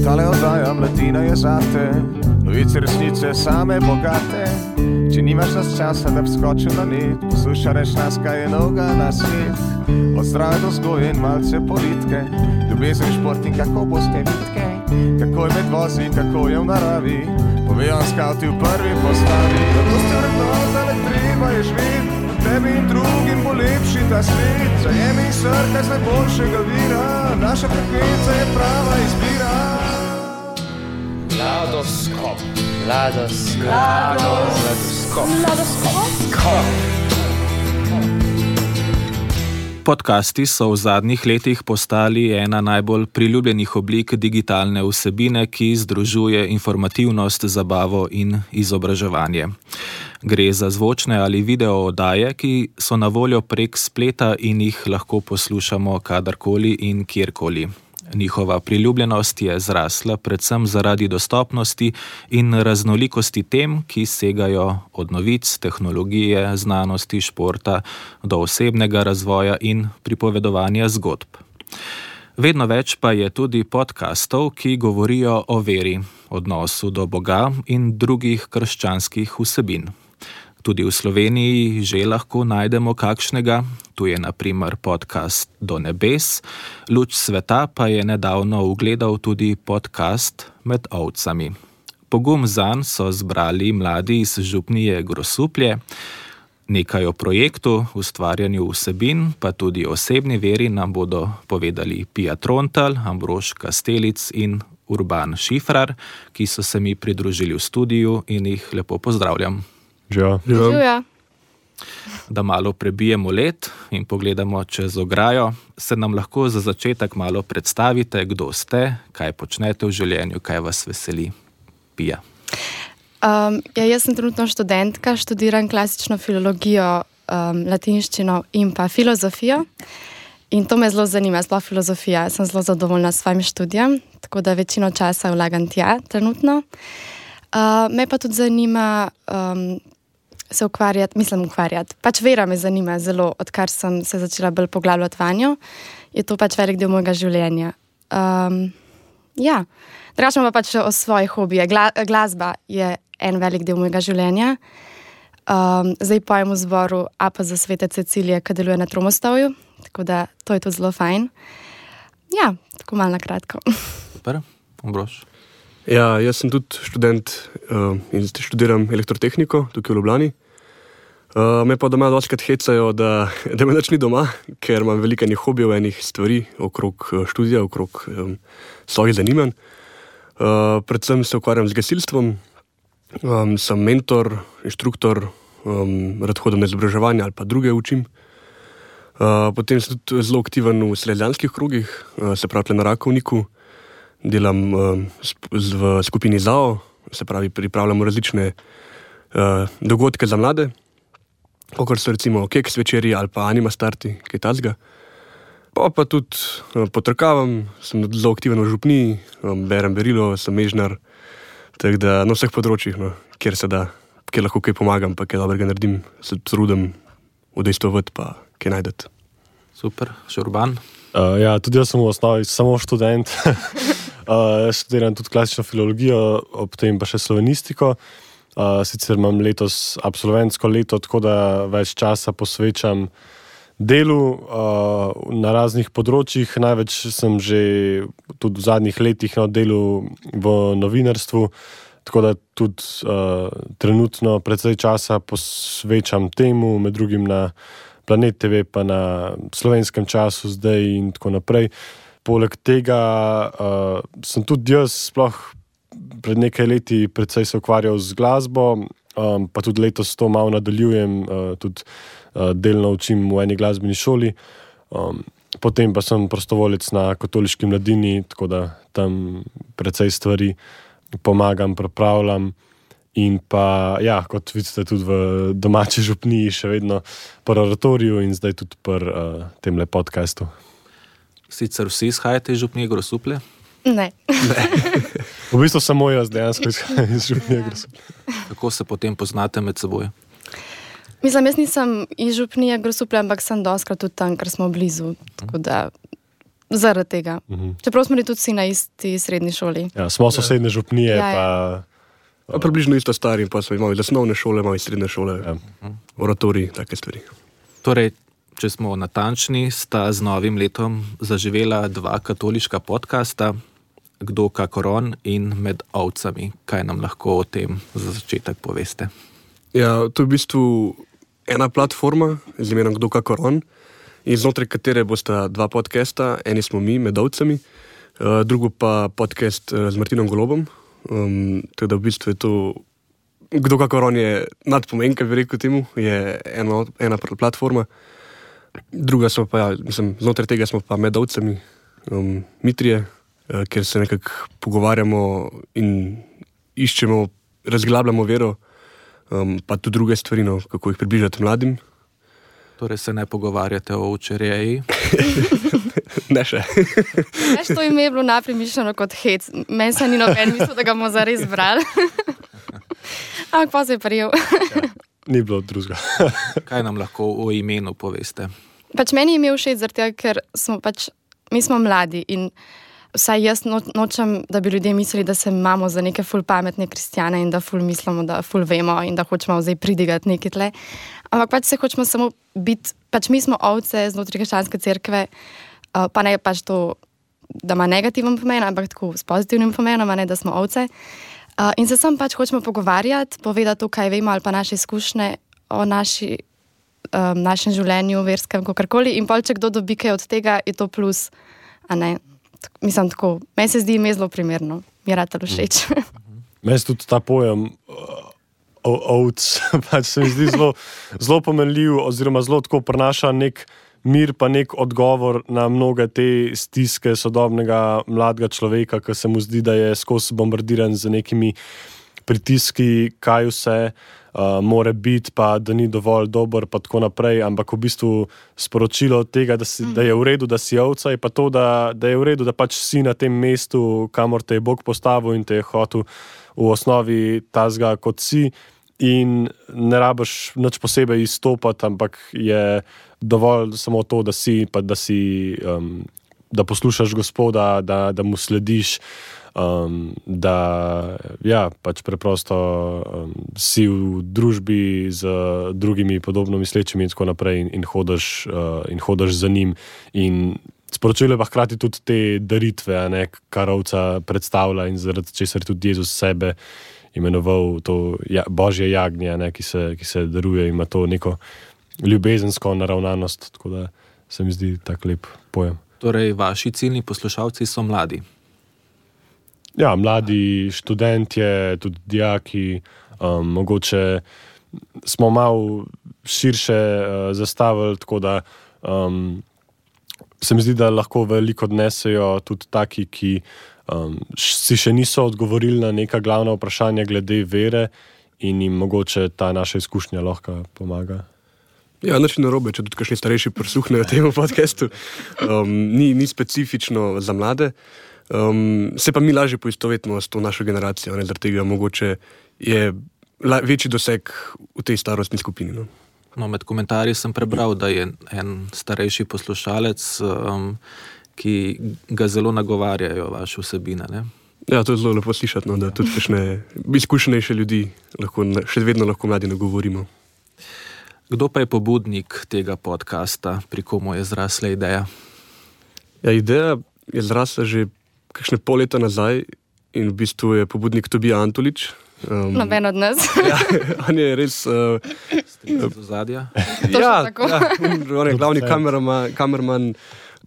Tale oddaja Mladina je zate, novice resnice same bogate. Če nimaš nas časa, da bi skočil na net, poslušaj nas, kaj je novega na svet. Od zdrave do vzgoje in malce politike, ljubezen, šport in kako boste vitke, kako je med vozi, kako je v naravi, povejo skavti v prvi postavi. Zato ste vrednotali, treba je živeti, tebi in drugim bo lepši ta svet. Zajemi srkaj z najboljšega vira, naša frekvenca je prava izbira. Mladoskop. Podcasti so v zadnjih letih postali ena najbolj priljubljenih oblik digitalne vsebine, ki združuje informativnost, zabavo in izobraževanje. Gre za zvočne ali video oddaje, ki so na voljo prek spleta in jih lahko poslušamo kadarkoli in kjerkoli. Njihova priljubljenost je zrasla predvsem zaradi dostopnosti in raznolikosti tem, ki segajo od novic, tehnologije, znanosti, športa do osebnega razvoja in pripovedovanja zgodb. Vedno več pa je tudi podcastov, ki govorijo o veri, odnosu do Boga in drugih krščanskih vsebin. Tudi v Sloveniji že lahko najdemo kakšnega, tu je na primer podcast Do nebes, Luč sveta pa je nedavno ugledal tudi podcast Med ovcami. Pogum zanj so zbrali mladi iz župnije Grosuplje. Nekaj o projektu, ustvarjanju vsebin, pa tudi osebni veri nam bodo povedali Pija Trontelj, Ambrož Kastelic in Urban Šifrar, ki so se mi pridružili v studiu in jih lepo pozdravljam. Živijo. Da malo prebijemo led in pogledamo čez ograjo, se nam lahko za začetek malo predstavite, kdo ste, kaj počnete v življenju, kaj vas veseli. Pija. Jaz sem trenutno študentka, študiram klasično filologijo, latinščino in pa filozofijo. In to me zelo zanima, sploh filozofija. Sem zelo zadovoljna s svojim študijem, tako da večino časa vlagam tja trenutno. Me pa tudi zanima se ukvarjati, pač vera me zanima zelo, odkar sem se začela bolj poglabljati vanjo. Je to pač velik del mojega življenja. Drugače pa pač o svojih hobijih. Glasba je en velik del mojega življenja. Zdaj pojem v zboru APZ Svete Cecilije, ki deluje na Tromostovju, tako da to je tudi zelo fajn. Ja, tako malo na kratko. Super, Ambrož. Ja, jaz sem tudi študent in študiram elektrotehniko tukaj v Ljubljani. Me pa doma dostikrat hecajo, da me nič ni doma, ker imam veliko enih hobijev, enih stvari okrog študija, okrog svojih zanimanj. Predvsem se ukvarjam z gasilstvom, sem mentor, inštruktor, rad hodim na izobraževanje ali pa druge učim. Potem sem tudi zelo aktiven v selekcionarskih krogih, se pravi na Rakovniku. Delam v skupini ZAO, se pravi pripravljamo različne dogodke za mlade, kakor so recimo keks večeri ali pa anima starti, kaj takega. Pa tudi potrkavam, sem zelo aktiven v župniji, berem berilo, sem mežnar, tako da na vseh področjih, kjer se da, kjer lahko kaj pomagam, pa kaj dobrega naredim, se trudim udejstvovati pa kaj najdeti. Super, še Urban? Tudi jaz sem v osnovi samo študent. Študiram tudi klasično filologijo, ob tem pa še slovenistiko. Sicer imam letos absolventsko leto, tako da več časa posvečam delu na raznih področjih. Največ sem že tudi v zadnjih letih na delu v novinarstvu, tako da tudi trenutno precej časa posvečam temu, med drugim na Planet TV, pa na Slovenskem času zdaj in tako naprej. Poleg tega sem tudi jaz sploh pred nekaj leti precej se ukvarjal z glasbo, pa tudi letos to malo nadaljujem, tudi delno učim v eni glasbeni šoli. Potem pa sem prostovoljec na Katoliški mladini, tako da tam precej stvari pomagam, pripravljam. In pa, kot vidite, tudi v domači župniji še vedno pri oratoriju in zdaj tudi pri temle podcastu. Sicer vsi izhajate iz župnije Grosuplje? Ne. V bistvu samo jaz dejansko iz Župnije Grosuplje. Kako se potem poznate med seboj? Mislim, jaz nisem iz Župnije Grosuplje, ampak sem dostkrat tudi tam, ker smo blizu. Tako da zaradi tega. Čeprav smo bili tudi vsi na isti srednji šoli. Ja, smo sosedne župnije, pa približno isto stari, pa smo imeli osnovne šole, imeli srednje šole, oratorij, take stvari. Torej, če smo natančni, sta z novim letom zaživela 2 katoliška podcasta, Kdo kakor on in Med ovcami. Kaj nam lahko o tem za začetek poveste? Ja, to je v bistvu ena platforma z imenom Kdo kakor on, in znotraj katere bosta 2 podcasta, eni smo mi, Med ovcami, drugo pa podcast z Martinom Golobom. Tako da v bistvu je to, Kdo kakor on je nadpomenka, bi rekel temu, je ena platforma. Druga smo pa, znotraj tega smo pa Med ovcami, Mitrije, kjer se nekako pogovarjamo in iščemo, razglabljamo vero, pa tudi druge stvari, kako jih približati mladim. Torej se ne pogovarjate o ovčerjeji? Ne še. Veš, to ime je bilo najprej mišljeno kot hec. Meni se ni noben mislil, da ga bomo zares brali. Ampak pa se je prijel. Ni bilo drugega. Kaj nam lahko o imenu poveste? Meni je ime všeč zaradi tega, ker mi smo mladi in vsaj jaz nočem, da bi ljudje mislili, da se imamo za neke ful pametne kristjane in da ful mislimo, da ful vemo in da hočemo zdaj pridigati nekaj tle. Ampak se hočemo samo biti, mi smo ovce znotraj krščanske cerkve, pa ne to, da ima negativen pomen, ampak tako s pozitivnim pomenom, ne da smo ovce. In se sam hočemo pogovarjati, povedati to, kaj vemo ali pa naše izkušnje o našem življenju, verskem, kakorkoli. In če kdo dobi kaj od tega, je to plus, a ne. Mislim tako, meni se zdi ime zelo primerno, mi je rad všeč. Meni se tudi ta pojem ovc se mi zdi zelo pomenljiv oziroma zelo tako prinaša nek mir pa nek odgovor na mnoge te stiske sodobnega mladega človeka, ki se mu zdi, da je skozi bombardiran z nekimi pritiski, kaj vse more biti, pa da ni dovolj dober, pa tako naprej, ampak v bistvu sporočilo tega, da je v redu, da si ovca, je pa to, da je v redu, da si na tem mestu, kamor te je Bog postavil in te je hotel v osnovi tazga kot si in ne rabiš nič posebej izstopati, ampak je dovolj samo to, da si, pa da poslušaš Gospoda, da mu slediš, da preprosto si v družbi z drugimi podobno mislečimi in tako naprej in hodaš za njim. In sporočilo je pa hkrati tudi te daritve, kar ovca predstavlja in zaradi česar tudi Jezus sebe imenoval to Božje jagnje, ki se daruje in ima to neko ljubezensko naravnanost, tako da se mi zdi tak lep pojem. Torej, vaši ciljni poslušalci so mladi? Ja, mladi študentje, tudi dijaki, mogoče smo malo širše zastavili, tako da se mi zdi, da lahko veliko odnesejo tudi taki, ki si še niso odgovorili na neka glavna vprašanja glede vere in jim mogoče ta naša izkušnja lahko pomaga. Ja, nič narobe, če tudi kakšni starejši prisluhnejo temu podcastu. Ni specifično za mlade. Se pa mi lažje poistovetimo s to našo generacijo, zaradi tega mogoče je večji doseg v tej starostni skupini. No, med komentarji sem prebral, da je en starejši poslušalec, ki ga zelo nagovarjajo vaše vsebine, ne? Ja, to je zelo lepo slišati, da tudi kakšne izkušenejše ljudi še vedno lahko mladi nagovorimo. Kdo pa je pobudnik tega podcasta, pri komu je zrasla ideja? Ja, ideja je zrasla že kakšne pol leta nazaj in v bistvu je pobudnik Tobija Antolič. Noben od nas. Ja, on je res... Stric z ozadja? On je glavni kamerman,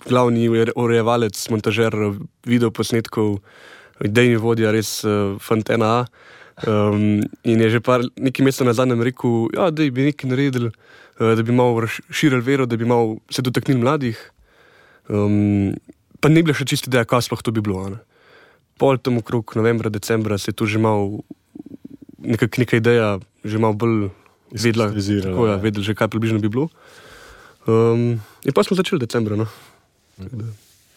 glavni urejevalec, montažer videoposnetkov, idejni vodja, res fantena. In je že nekaj mesecev nazaj nam rekel, da bi nekaj naredili, da bi malo razširili vero, da bi malo se dotaknili mladih. Pa ni bila še čisto ideja, kaj sploh to bi bilo. Pol tam okrog novembra, decembra se je tu že malo neka ideja že malo bolj vedela, vedeli že, kaj približno bi bilo. In pa smo začeli decembra.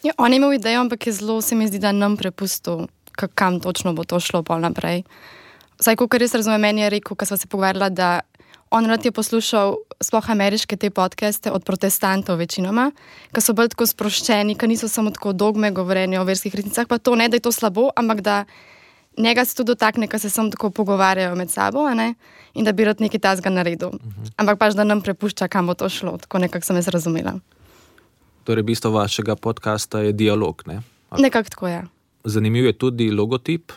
Ja, on je imel idejo, ampak je zelo, se mi zdi, da nam prepustil, kam točno bo to šlo pol naprej. Vsaj, ko res razumem, meni je rekel, ko sva se pogovarjala, da on rad je poslušal sploh ameriške te podcaste od protestantov večinoma, ki so bolj tako sproščeni, ki niso samo tako dogme govorjenja o verskih resnicah, pa to ne, da je to slabo, ampak da njega se tudi dotakne, ko se samo tako pogovarjajo med sabo, a ne? In da bi rad nekaj tazga naredil. Ampak pač, da nam prepušča, kam bo to šlo, tako nekako sem jaz razumela. Torej, bistvo vašega podcasta je dialog, ne? Nekako tako je. Zanimiv je tudi logotip,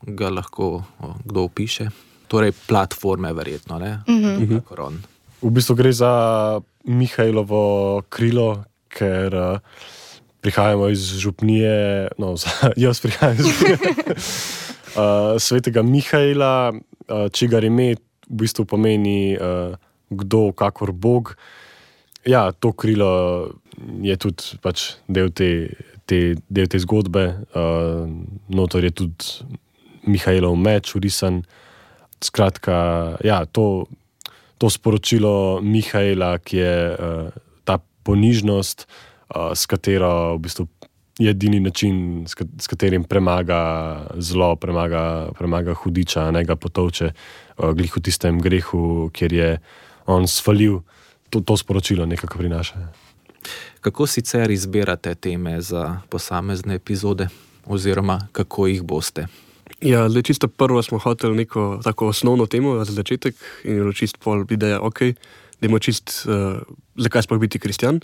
ga lahko kdo opiše. Torej, platforme verjetno, ne? Kakor on. V bistvu gre za Mihajlovo krilo, ker prihajamo iz župnije, jaz prihajam iz župnije svetega Mihajla, čigar ime v bistvu pomeni kdo kakor Bog. Ja, to krilo je tudi pač del te zgodbe. Notor je tudi Mihajlov meč vrisan. Skratka, ja, to sporočilo Mihajla, ki je ta ponižnost, s katero v bistvu je edini način, s katerim premaga zlo, premaga hudiča, ne ga potovče glih v tistem grehu, kjer je on svalil. To sporočilo nekako prinaša. Kako sicer izbirate teme za posamezne epizode oziroma kako jih boste? Ja, zdaj čisto prvo smo hoteli neko tako osnovno temo za začetek in je bilo čisto pol ideja, dajmo zakaj sploh biti kristjan.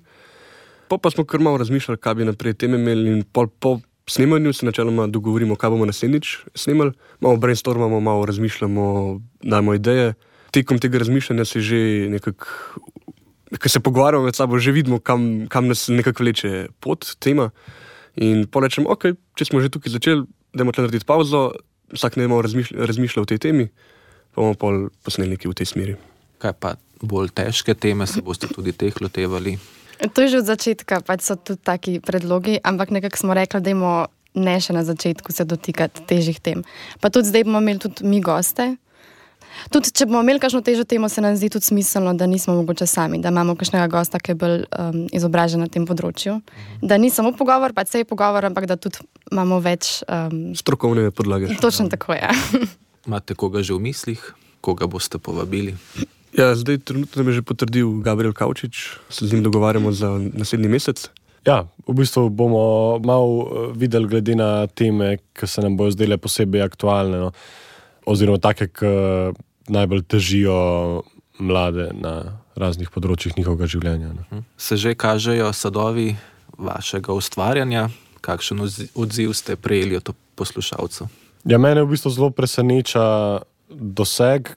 Pa smo kar malo razmišljali, kaj bi naprej teme imeli in po snemanju se načeloma dogovorimo, kaj bomo naslednjič snemali. Malo brainstormamo, malo razmišljamo, dajmo ideje. Tekom tega razmišljanja se že nekako, ko se pogovarjamo med sabo, že vidimo, kam nas nekako vleče pot, tema. In pa rečemo, če smo že tukaj začeli, dajmo tle narediti pauzo, vsak ne malo razmišlja o tej temi, pa bomo pol posneli nekaj v tej smeri. Kaj pa bolj težke teme, se boste tudi teh lotevali? To je že od začetka, pač so tudi taki predlogi, ampak nekako smo rekli, dajmo ne še na začetku se dotikati težjih tem. Pa tudi zdaj bomo imeli tudi mi goste. Tudi če bomo imeli kakšno težjo temo, se nam zdi tudi smiselno, da nismo mogoče sami, da imamo kakšnega gosta, ki je bolj izobražen na tem področju. Da ni samo pogovor, pač se je pogovor, ampak da tudi imamo več strokovne podlage. Točno tako, ja. Imate koga že v mislih? Koga boste povabili? Ja, zdaj trenutno nam je že potrdil Gabriel Kavčič, se z njim dogovarjamo za naslednji mesec. Ja, v bistvu bomo malo videli glede na teme, ki se nam bojo zdele posebej aktualne, no. Oziroma take, ki najbolj težijo mlade na raznih področjih njihovega življenja. No. Se že kažejo sadovi vašega ustvarjanja? Kakšen odziv ste prejeli od poslušalcev? Ja, mene v bistvu zelo preseneča doseg,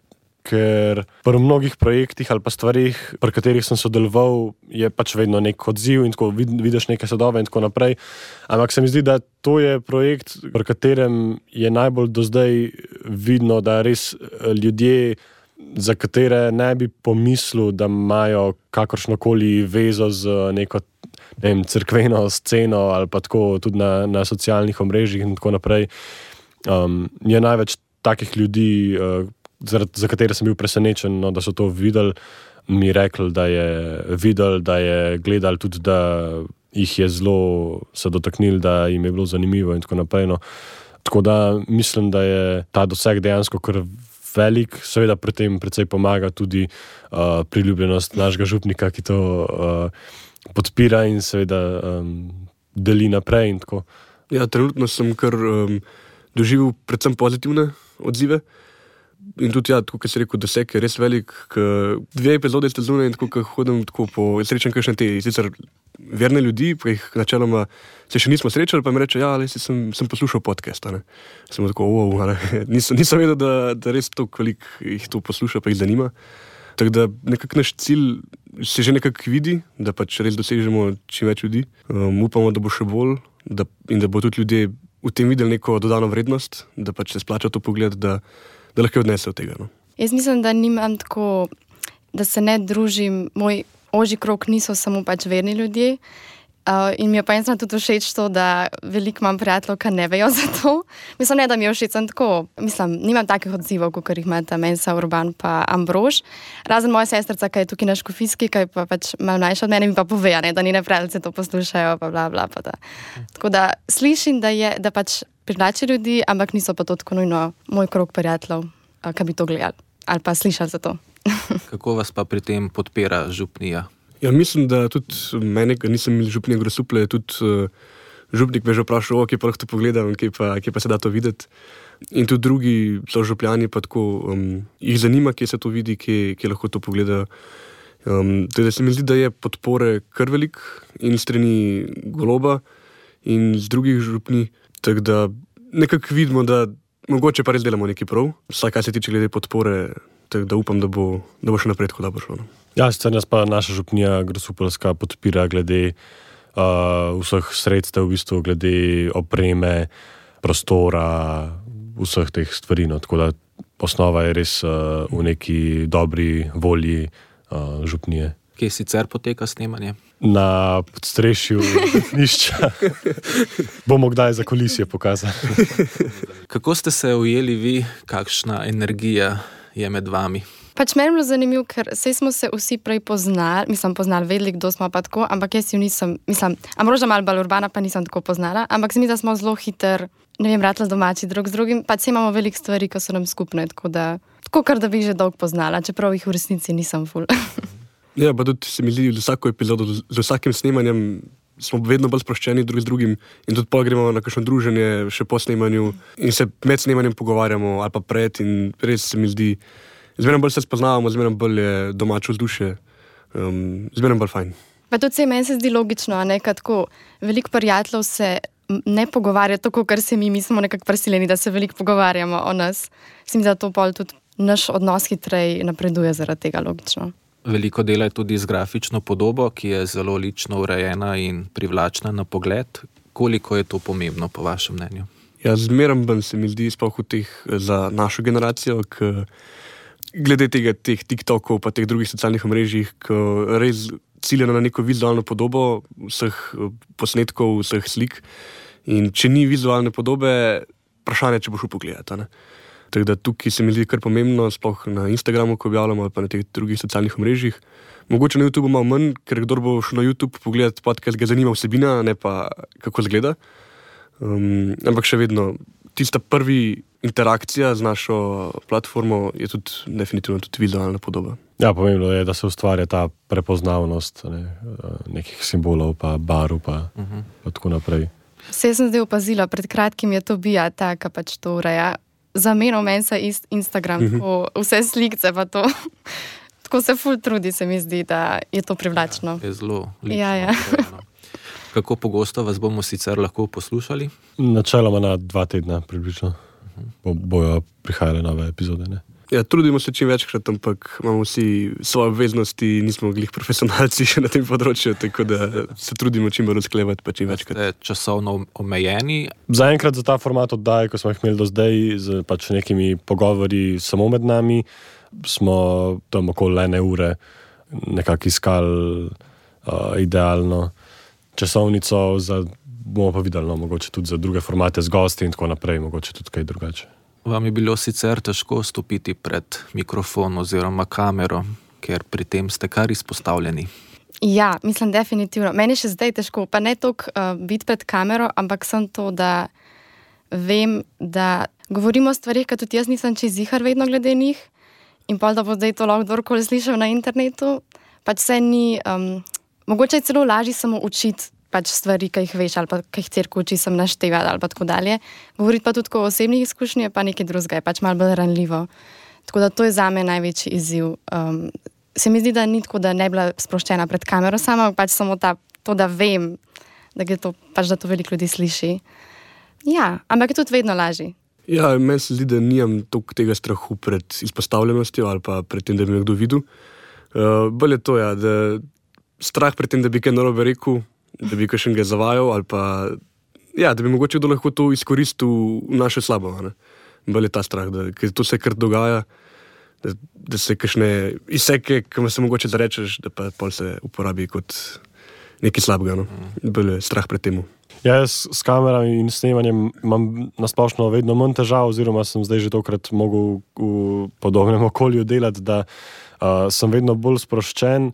ker pri mnogih projektih ali pa stvarih, pri katerih sem sodeloval, je pač vedno nek odziv in tako vidiš neke sadove in tako naprej. Ampak se mi zdi, da to je projekt, pri katerem je najbolj do zdaj vidno, da res ljudje, za katere ne bi pomislil, da imajo kakršnokoli vezo z neko cerkveno sceno ali pa tako tudi na socialnih omrežjih in tako naprej, je največ takih ljudi, za katere sem bil presenečen, no, da so to videli, mi rekli, da je gledali tudi, da jih je zelo se dotaknili, da jim je bilo zanimivo in tako naprej. No. Tako da mislim, da je ta doseg dejansko kar velik, seveda pri tem precej pomaga tudi priljubljenost našega župnika, ki to podpira in seveda deli naprej in tako. Ja, trenutno sem kar doživel predvsem pozitivne odzive. In tudi, ja, tako, kot si rekel, doseg je res velik. 2 epizode ste zunaj in tako, ko hodim tako srečam kakšne te sicer verne ljudi, pa jih načeloma se še nismo srečali, pa mi reče, ja, sem poslušal podcast. Sem tako, nisem vedel, da res to, koliko jih to posluša, pa jih zanima. Tako da nekako naš cilj se že nekako vidi, da pač res dosežemo čim več ljudi. Upamo, da bo še bolj in da bo tudi ljudje v tem videli neko dodano vrednost, da pač se splača to pogled, da lahko odnese od tega. No. Jaz mislim, da nimam tako, da se ne družim, moj ožji krog niso samo pač verni ljudje In mi je pa eno tudi všeč to, da veliko imam prijateljev, ki ne vejo za to. Mislim, ne, da mi je všeč, sem tako, nimam takih odzivov, kot jih imata Mensa, Urban pa Ambrož. Razen moja sestrica, ki je tukaj na Škofijski, ki je pa pač malo mlajša od mene, mi pa pove, ne, da njene prijateljice to poslušajo, pa bla, bla, pa da. Tako da slišim, da pač privlači ljudi, ampak niso pa to tako nujno moj krog prijateljev, ki bi to gledali ali pa slišali za to. Kako vas pa pri tem podpira župnija? Ja, mislim, da tudi mene, ki nisem imel župnije Grosuplje, tudi župnik me že vprašal, kje pa lahko to pogledam, kje pa se da to videti. In tudi drugi so župljani, pa tako jih zanima, kje se to vidi, kje lahko to pogledajo. Teda se mi zdi, da je podpore kar velik in strani Goloba in z drugih župni, tako da nekako vidimo, da mogoče pa res delamo nekaj prav, vsaj kaj se tiče glede podpore, tako da upam, da bo še naprej tako dobro šlo. Ja, sicer nas pa naša župnija Grosupeljska podpira glede vseh sredstev, v bistvu glede opreme, prostora, vseh teh stvari. No. Tako da osnova je res v neki dobri volji župnije. Kje sicer poteka snemanje? Na podstrešju župnišča. Bomo kdaj za kulisije pokazali. Kako ste se ujeli vi, kakšna energija je med vami? Pač meni je bilo zanimivo, ker smo se vsi prej poznali, vedeli, kdo smo pa tako, ampak jaz jo nisem, Ambroža malo bolj Urbana pa nisem tako poznala, ampak se mi, da smo zelo hiter, ratali domači drug z drugim, pač imamo veliko stvari, ki so nam skupne, tako kar da bi že dolgo poznala, čeprav jih v resnici nisem ful. Ja, pa tudi se mi zdi, z vsako epizodo, z vsakim snemanjem smo vedno bolj sproščeni drug z drugim in tudi pa gremo na kakšno druženje še po snemanju in se med snemanjem pogovarjamo ali pa pred in res se mi zdi, zmeraj bolj se spoznavamo, zmeraj bolj je domače vzdušje, zmeraj bolj fajn. Pa tudi meni se zdi logično, tako veliko prijateljev se ne pogovarja tako, ker se mi smo nekako prisiljeni, da se veliko pogovarjamo o nas. Mislim, da to pol tudi naš odnos hitreje napreduje zaradi tega, logično. Veliko dela je tudi z grafično podobo, ki je zelo lično urejena in privlačna na pogled. Koliko je to pomembno, po vašem mnenju? Ja, zmeraj bolj se mi zdi, sploh v teh za našo generacijo, glede teh TikTokov pa teh drugih socialnih omrežjih, ki res ciljajo na neko vizualno podobo vseh posnetkov, vseh slik. In če ni vizualne podobe, vprašanje, če boš upogledati. Tako da tukaj se mi zdi kar pomembno, sploh na Instagramu, ko objavljamo, ali pa na teh drugih socialnih omrežjih. Mogoče na YouTubeu malo manj, ker kdor bo šel na YouTube pogledati podcast, ga zanima vsebina, ne pa kako izgleda. Ampak še vedno, tista prvi interakcija z našo platformo je tudi definitivno tudi vizualna podoba. Ja, pomembno je, da se ustvarja ta prepoznavnost nekih simbolov, pa barv, pa tako naprej. Vse sem zdaj opazila, pred kratkim je to Bija, ta, ki pač to ureja. Zamenil Mensa Instagram, vse slikce pa to. Tako se ful trudi, se mi zdi, da je to privlačno. Ja, je zelo lično. Ja. Kako pogosto vas bomo sicer lahko poslušali? Načeloma na 2 tedna približno. Bojo prihajale nove epizode, ne? Ja, trudimo se čim večkrat, ampak imamo vsi svoje obveznosti, nismo glih profesionalci še na tem področju, tako da se trudimo čim bolj usklajevati, pa čim večkrat. Ste časovno omejeni? Zaenkrat za ta format oddaje, ko smo jih imeli do zdaj, z pač nekimi pogovori samo med nami, smo tam okoli 1 ure nekako iskali idealno časovnico, bomo pa videli, mogoče tudi za druge formate z gosti in tako naprej, mogoče tudi kaj drugače. Vam je bilo sicer težko stopiti pred mikrofon oziroma kamero, ker pri tem ste kar izpostavljeni? Ja, mislim definitivno. Meni je še zdaj težko, pa ne toliko biti pred kamero, ampak sem to, da vem, da govorimo o stvarih, ki tudi jaz nisem čez zihar vedno glede njih in pol, da bo zdaj to lahko kdorkoli slišal na internetu. Pač se ni, mogoče je celo lažje samo učiti pač stvari, ki jih veš, ali pa ki jih cirko uči sem naštevati, ali pa tako dalje. Govoriti pa tudi o osebnih izkušnjah, pa nekaj drugega, je pač malo bolj ranljivo. Tako da to je zame največji izziv. Se mi zdi, da ni tako, da ne bila sproščena pred kamero sama, pač samo to, da vem, da to veliko ljudi sliši. Ja, ampak je tudi vedno lažje. Ja, meni se zdi, da nimam toliko tega strahu pred izpostavljenostjo ali pa pred tem, da bi me kdo videl. Bolj je to, ja, da strah pred tem, da bi kaj narobe rekel, da bi kakšnega zavajal ali pa, ja, da bi mogoče kdo lahko to izkoristil v naše slabo. Bolj je ta strah, ker to se kar dogaja, da se kakšne izseke, ki se mogoče zarečeš, da pa pol se uporabi kot nekaj slabega, no. Bolj je strah pred temu. Ja, jaz s kamerami in snemanjem imam nasplošno vedno manj težav, oziroma sem zdaj že tokrat mogel v podobnem okolju delati, da sem vedno bolj sproščen.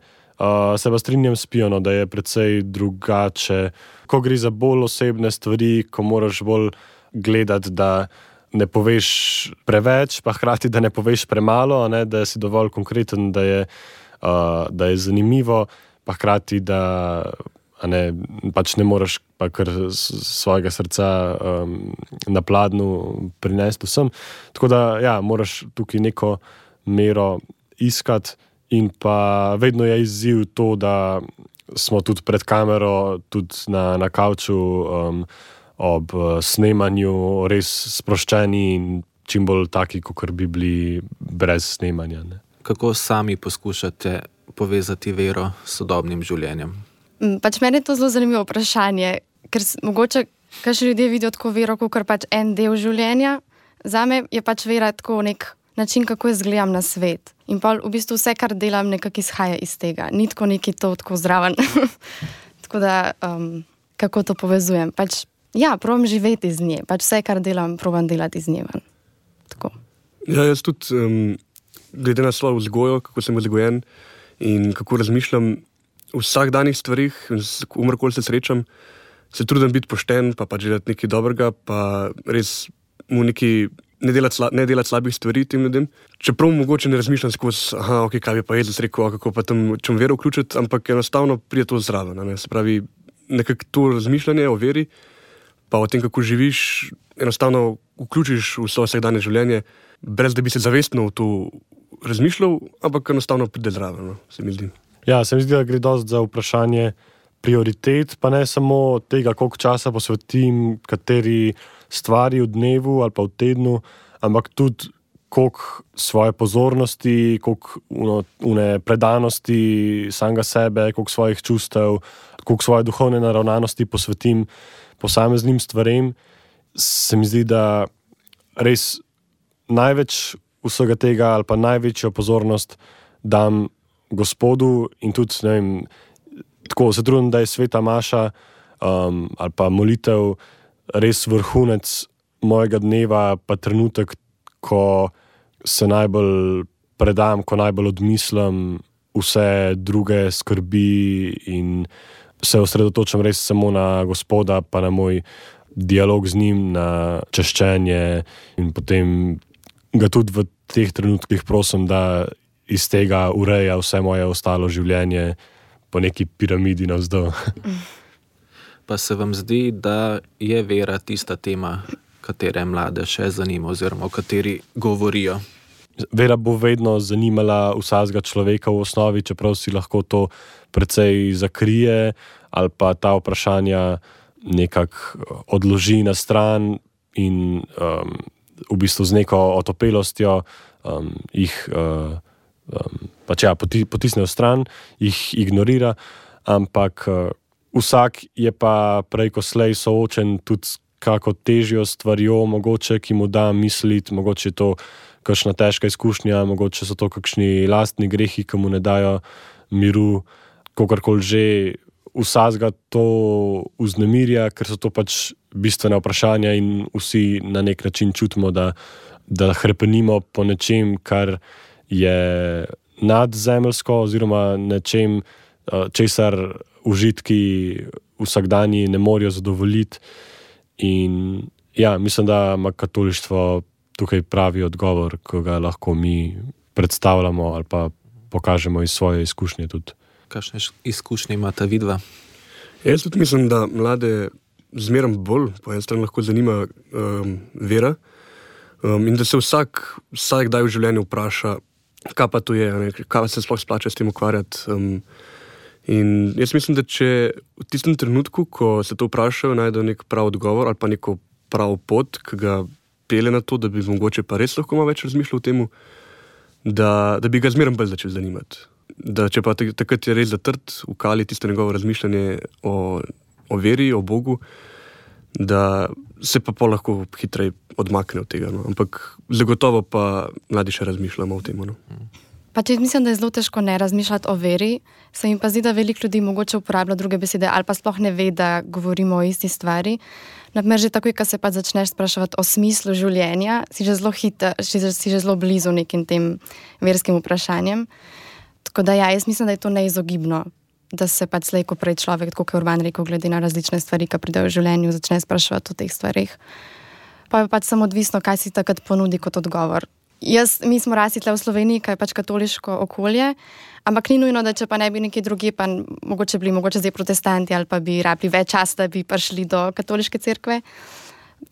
Se pa strinjam s Piono, da je precej drugače, ko gre za bolj osebne stvari, ko moraš bolj gledati, da ne poveš preveč, pa hkrati, da ne poveš premalo, ne, da si dovolj konkreten, da je zanimivo, pa hkrati, da pač ne moreš pa kar svojega srca na pladnju prinesti vsem. Tako da, ja, moraš tukaj neko mero iskati in pa vedno je izziv to, da smo tudi pred kamero, tudi na kavču ob snemanju res sproščeni in čim bolj taki, kakor bi bili brez snemanja. Ne. Kako sami poskušate povezati vero s sodobnim življenjem? Pač meni je to zelo zanimivo vprašanje, ker mogoče kakšni ljudje vidijo tako vero, kot pač en del življenja. Zame je pač vera tako nek način, kako jaz gledam na svet. In pa v bistvu vse, kar delam, nekako izhaja iz tega. Ni tako neki to tako zraven. Tako da, kako to povezujem? Pač, ja, probam živeti iz nje. Pač vse, kar delam, probam delati iz nje. Tako. Ja, jaz tudi, glede na svojo vzgojo, kako sem vzgojen in kako razmišljam v vsakdanjih stvarih, umrkoli se srečam, se trudim biti pošten, pa pač delati nekaj dobrega, pa res mu ne delati slabih stvari tem ljudem. Čeprav mogoče ne razmišljam skozi, ok, kaj bi pa Jezus rekel, kako pa tam čem vero vključiti, ampak enostavno pride to zraven. Ne? Se pravi, nekako to razmišljanje o veri, pa o tem, kako živiš, enostavno vključiš v svoje vsakdanje življenje, brez da bi se zavestno v to razmišljal, ampak enostavno pride zraven, no? Se mi zdi. Ja, se mi zdi, da gre dosti za vprašanje prioritet, pa ne samo tega, koliko časa posvetim kateri stvari v dnevu ali pa v tednu, ampak tudi koliko svoje pozornosti, koliko predanosti samega sebe, koliko svojih čustev, koliko svoje duhovne naravnanosti posvetim posameznim stvarem. Se mi zdi, da res največ vsega tega ali pa največjo pozornost dam Gospodu in tudi, ne vem, tako se trudim, da je sveta maša ali pa molitev res vrhunec mojega dneva, pa trenutek, ko se najbolj predam, ko najbolj odmislim vse druge skrbi in se osredotočam res samo na Gospoda, pa na moj dialog z njim, na češčenje in potem ga tudi v teh trenutkih prosim, da iz tega ureja vse moje ostalo življenje po neki piramidi navzdol. Pa se vam zdi, da je vera tista tema, katere mlade še zanima oziroma o kateri govorijo? Vera bo vedno zanimala vsakega človeka v osnovi, čeprav si lahko to precej zakrije ali pa ta vprašanja nekako odloži na stran in v bistvu z neko otopelostjo jih potisne v stran, jih ignorira, ampak vsak je pa prej ko slej soočen tudi s kako težjo stvarjo, mogoče, ki mu da misliti, mogoče je to kakšna težka izkušnja, mogoče so to kakšni lastni grehi, ki mu ne dajo miru, kakorkoli že, vsakega to vznemirja, ker so to pač bistvene vprašanja in vsi na nek način čutimo, da hrepenimo po nečem, kar je nadzemeljsko oziroma nečem, česar užitki vsakdanji ne morejo zadovoljiti. In ja, mislim, da ima katolištvo tukaj pravi odgovor, ko ga lahko mi predstavljamo ali pa pokažemo iz svoje izkušnje tudi. Kakšne izkušnje imata vidva? Jaz tudi mislim, da mlade zmerom bolj po eni strani lahko zanima vera in da se vsak kdaj v življenju vpraša, kaj pa to je, ne? Kaj se sploh splača s tem ukvarjati. In jaz mislim, da če v tistem trenutku, ko se to vprašajo, najdejo nek prav odgovor ali pa neko prav pot, ki ga pelje na to, da bi mogoče pa res lahko malo več razmišljal o temu, da bi ga zmerom bolj začel zanimati. Da če pa takrat je res zatrt v kali tisto njegovo razmišljanje o veri, o Bogu, da se pa lahko hitreje odmakne od tega. No. Ampak zagotovo pa mladi še razmišljamo o tem. No. Pač mislim, da je zelo težko ne razmišljati o veri. Se mi pa zdi, da veliko ljudi mogoče uporablja druge besede ali pa sploh ne ve, da govorimo o isti stvari. Naprimer, že takoj, ko se pa začneš spraševati o smislu življenja, si že zelo blizu nekim tem verskim vprašanjem. Tako da ja, jaz mislim, da je to neizogibno, da se pač slej, ko prej človek, tako kot je Urban rekel, glede na različne stvari, ki pridejo v življenju, začne spraševati o teh stvarih. Pa je pač samo odvisno, kaj si takrat ponudi kot odgovor. Mi smo rasli tle v Sloveniji, kaj je pač katoliško okolje, ampak ni nujno, da če pa ne bi nekje drugi, pa mogoče zdaj protestanti ali pa bi rabili več časa, da bi prišli do katoliške cerkve.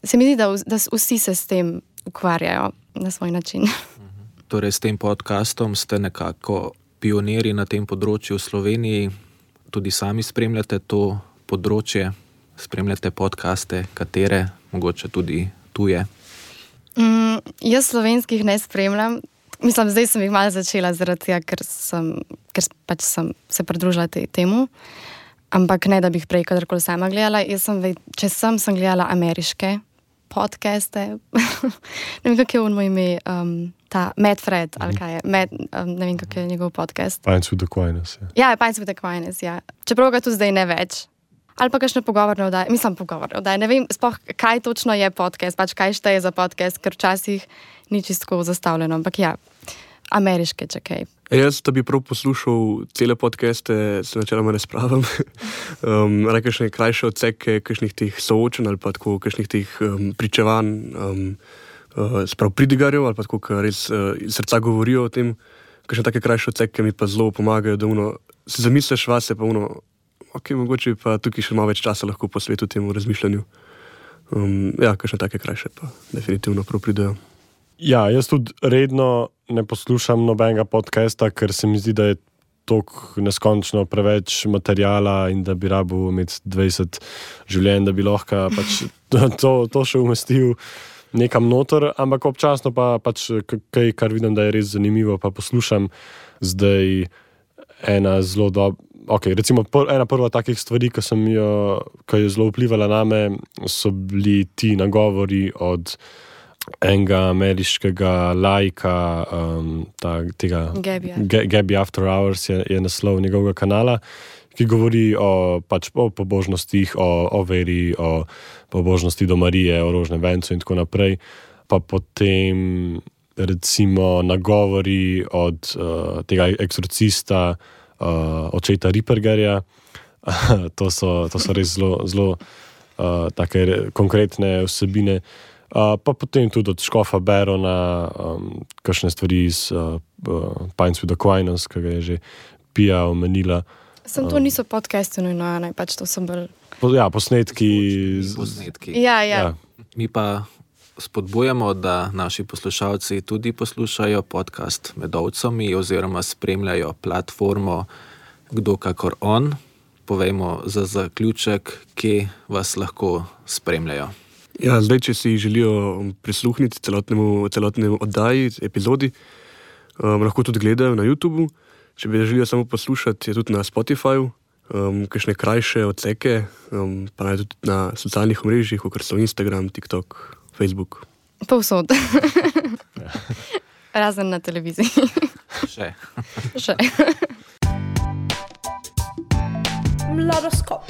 Se mi zdi, da vsi se s tem ukvarjajo na svoj način. Torej, s tem podcastom ste nekako pionirji na tem področju v Sloveniji. Tudi sami spremljate to področje, spremljate podcaste, katere, mogoče tudi tuje. Jaz slovenskih ne spremljam. Mislim, zdaj sem jih malo začela zaradi tega, ker pač sem se pridružila temu. Ampak ne, da bi jih prej kadarkoli sama gledala. Če sem gledala ameriške podcaste. Ne vem, kak je on moj ime. Ta Matt Fred, ali kaj je. Ne vem, kak je njegov podcast. Pints with Aquinas. Ja, Pints with Aquinas, ja. Čeprav ga tudi zdaj ne več. Ali pa kakšne pogovorne oddaje. Mislim, pogovorne oddaje. Ne vem, sploh, kaj točno je podcast, pač kaj šteje za podcast, ker včasih ni čisto zastavljeno. Ampak ja, ameriške, če kaj. Jaz, da bi prav poslušal cele podcaste, se načeloma ne spravim. Kakšne krajše odseke, kakšnih teh soočenj ali pa tako, kakšnih teh pričevanj, sprav pridigarjev ali pa tako, kar res iz srca govorijo o tem. Kakšne take krajše odseke mi pa zelo pomagajo, da se zamisliš vase, pa ok, mogoče pa tukaj še malo več časa lahko posvetil temu razmišljanju. Ja, kakšne take krajše pa definitivno prav pridejo. Ja, jaz tudi redno ne poslušam nobenega podcasta, ker se mi zdi, da je toliko neskončno preveč materijala in da bi rabil imeti 20 življenj, da bi lahko pač to še umestil nekam noter, ampak občasno pa pač kaj, kar vidim, da je res zanimivo, pa poslušam. Zdaj ena zelo recimo ena prva takih stvari, ki je zelo vplivala name, so bili ti nagovori od enega ameriškega laika, tega Gabby After Hours je naslov njegovega kanala, ki govori o pobožnostih, o veri, o pobožnosti do Marije, o rožnem vencu in tako naprej. Pa potem recimo nagovori od tega eksorcista, očeta Rippergerja. To so res zelo take konkretne vsebine. Pa potem tudi od škofa Barona, kakšne stvari iz Pints with Aquinas, ki ga je že Pia omenila. To niso podcasti, pač to so bolj... posnetki. Ja. Mi pa spodbujamo, da naši poslušalci tudi poslušajo podcast Med ovcami oziroma spremljajo platformo Kdo kakor on. Povejmo za zaključek, kje vas lahko spremljajo. Ja, zdaj, če si želijo prisluhniti celotnemu oddaji, epizodi, lahko tudi gledajo na YouTubu. Če bi želijo samo poslušati, je tudi na Spotifyju, kakšne krajše odseke, pa naj tudi na socialnih omrežjih, kot so Instagram, TikTok, Facebook. Povsod. Razen na televiziji. Še. Mladoskop.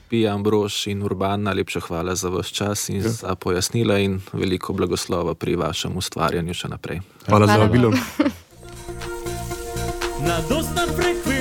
Pia, Ambrož in Urban, najlepša hvala za vaš čas in za pojasnila in veliko blagoslova pri vašem ustvarjanju še naprej. Hvala za vabilo. Na dostan frekvenci